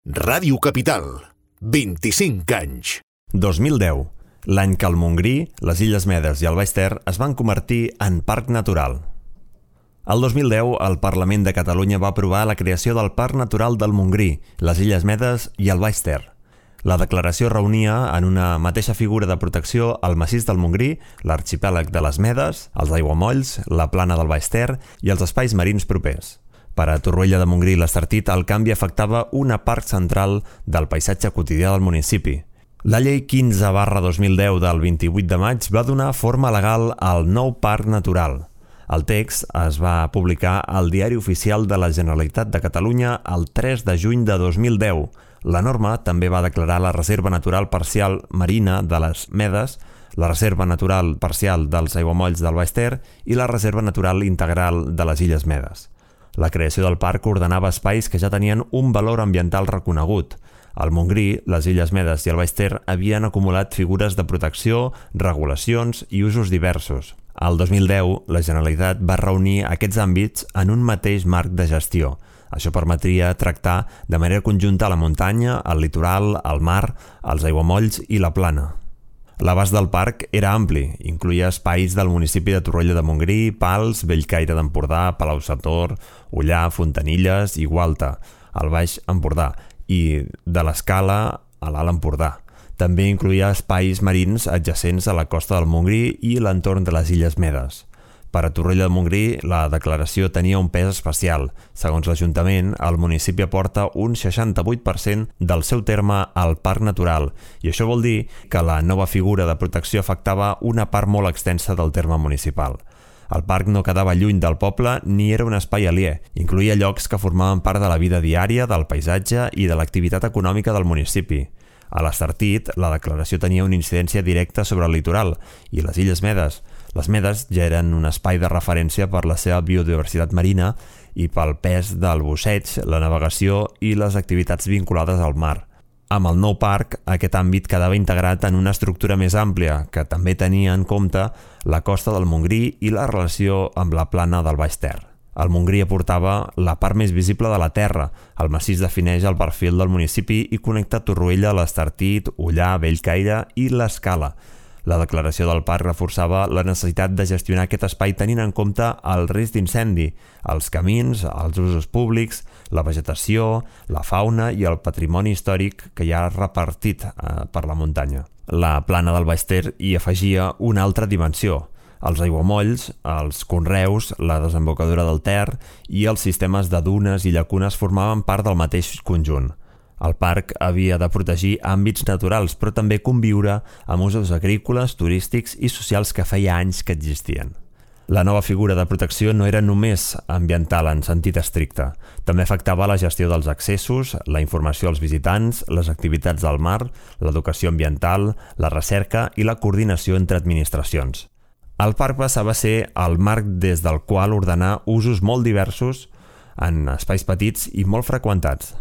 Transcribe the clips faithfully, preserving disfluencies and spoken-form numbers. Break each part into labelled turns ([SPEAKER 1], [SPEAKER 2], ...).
[SPEAKER 1] Ràdio Capital, vint-i-cinc anys.
[SPEAKER 2] dos mil deu, l'any que el Montgrí, les Illes Medes i el Baix Ter es van convertir en parc natural. El dos mil deu, el Parlament de Catalunya va aprovar la creació del Parc Natural del Montgrí, les Illes Medes i el Baix Ter. La declaració reunia en una mateixa figura de protecció el massís del Montgrí, l'arxipèlag de les Medes, els aiguamolls, la plana del Baix Ter i els espais marins propers. Per a Torroella de Montgrí i l'Estartit, el canvi afectava una part central del paisatge quotidià del municipi. La llei quinze barra dos mil deu del vint-i-vuit de maig va donar forma legal al nou parc natural. El text es va publicar al Diari Oficial de la Generalitat de Catalunya el tres de juny de dos mil deu. La norma també va declarar la Reserva Natural Parcial Marina de les Medes, la Reserva Natural Parcial dels Aiguamolls del Baix Ter i la Reserva Natural Integral de les Illes Medes. La creació del parc ordenava espais que ja tenien un valor ambiental reconegut. Al Montgrí, les Illes Medes i el Baix Ter havien acumulat figures de protecció, regulacions i usos diversos. Al dos mil deu, la Generalitat va reunir aquests àmbits en un mateix marc de gestió. Això permetria tractar de manera conjunta la muntanya, el litoral, el mar, els aiguamolls i la plana. L'abast del parc era ampli, incloïa espais del municipi de Torroella de Montgrí, Pals, Bellcaire d'Empordà, Palau-sator, Ullà, Fontanilles i Gualta, al Baix Empordà, i de l'Escala a l'Alt Empordà. També incloïa espais marins adjacents a la costa del Montgrí i l'entorn de les Illes Medes. Per a Torroella de Montgrí, la declaració tenia un pes especial. Segons l'Ajuntament, el municipi aporta un seixanta-vuit per cent del seu terme al parc natural, i això vol dir que la nova figura de protecció afectava una part molt extensa del terme municipal. El parc no quedava lluny del poble ni era un espai aliè. Incloïa llocs que formaven part de la vida diària, del paisatge i de l'activitat econòmica del municipi. A l'Estartit, la declaració tenia una incidència directa sobre el litoral i les Illes Medes. Les Medes ja eren un espai de referència per la seva biodiversitat marina i pel pes del busseig, la navegació i les activitats vinculades al mar. Amb el nou parc, aquest àmbit quedava integrat en una estructura més àmplia, que també tenia en compte la costa del Montgrí i la relació amb la plana del Baix Ter. El Montgrí aportava la part més visible de la terra. El massís defineix el perfil del municipi i connecta Torroella, l'Estartit, Ullà, Bellcaire i l'Escala. La declaració del parc reforçava la necessitat de gestionar aquest espai tenint en compte el risc d'incendi, els camins, els usos públics, la vegetació, la fauna i el patrimoni històric que hi ha repartit eh, per la muntanya. La plana del Baix Ter hi afegia una altra dimensió: els aiguamolls, els conreus, la desembocadura del Ter i els sistemes de dunes i llacunes formaven part del mateix conjunt. El parc havia de protegir àmbits naturals, però també conviure amb usos agrícoles, turístics i socials que feia anys que existien. La nova figura de protecció no era només ambiental en sentit estricte. També afectava la gestió dels accessos, la informació als visitants, les activitats del mar, l'educació ambiental, la recerca i la coordinació entre administracions. El parc passava a ser el marc des del qual ordenar usos molt diversos en espais petits i molt freqüentats.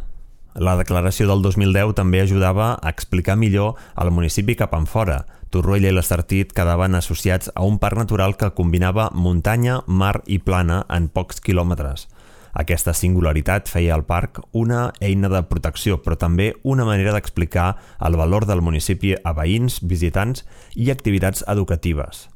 [SPEAKER 2] La declaració del dos mil deu també ajudava a explicar millor al municipi cap enfora. Torroella i l'Estartit quedaven associats a un parc natural que combinava muntanya, mar i plana en pocs quilòmetres. Aquesta singularitat feia al parc una eina de protecció, però també una manera d'explicar el valor del municipi a veïns, visitants i activitats educatives.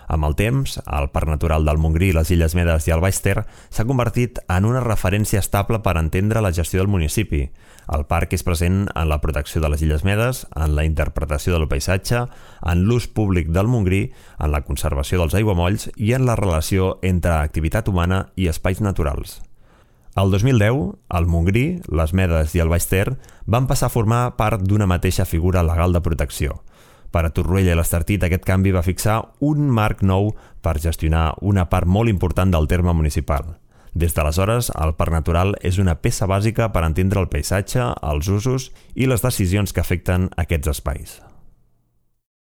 [SPEAKER 2] Amb el temps, el Parc Natural del Montgrí, les Illes Medes i el Baix Ter s'ha convertit en una referència estable per entendre la gestió del municipi. El parc és present en la protecció de les Illes Medes, en la interpretació del paisatge, en l'ús públic del Montgrí, en la conservació dels aiguamolls i en la relació entre activitat humana i espais naturals. El dos mil deu, el Montgrí, les Medes i el Baix Ter van passar a formar part d'una mateixa figura legal de protecció. Per a Torroella i l'Estartit, aquest canvi va fixar un marc nou per gestionar una part molt important del terme municipal. Des d'aleshores, el parc natural és una peça bàsica per entendre el paisatge, els usos i les decisions que afecten aquests espais.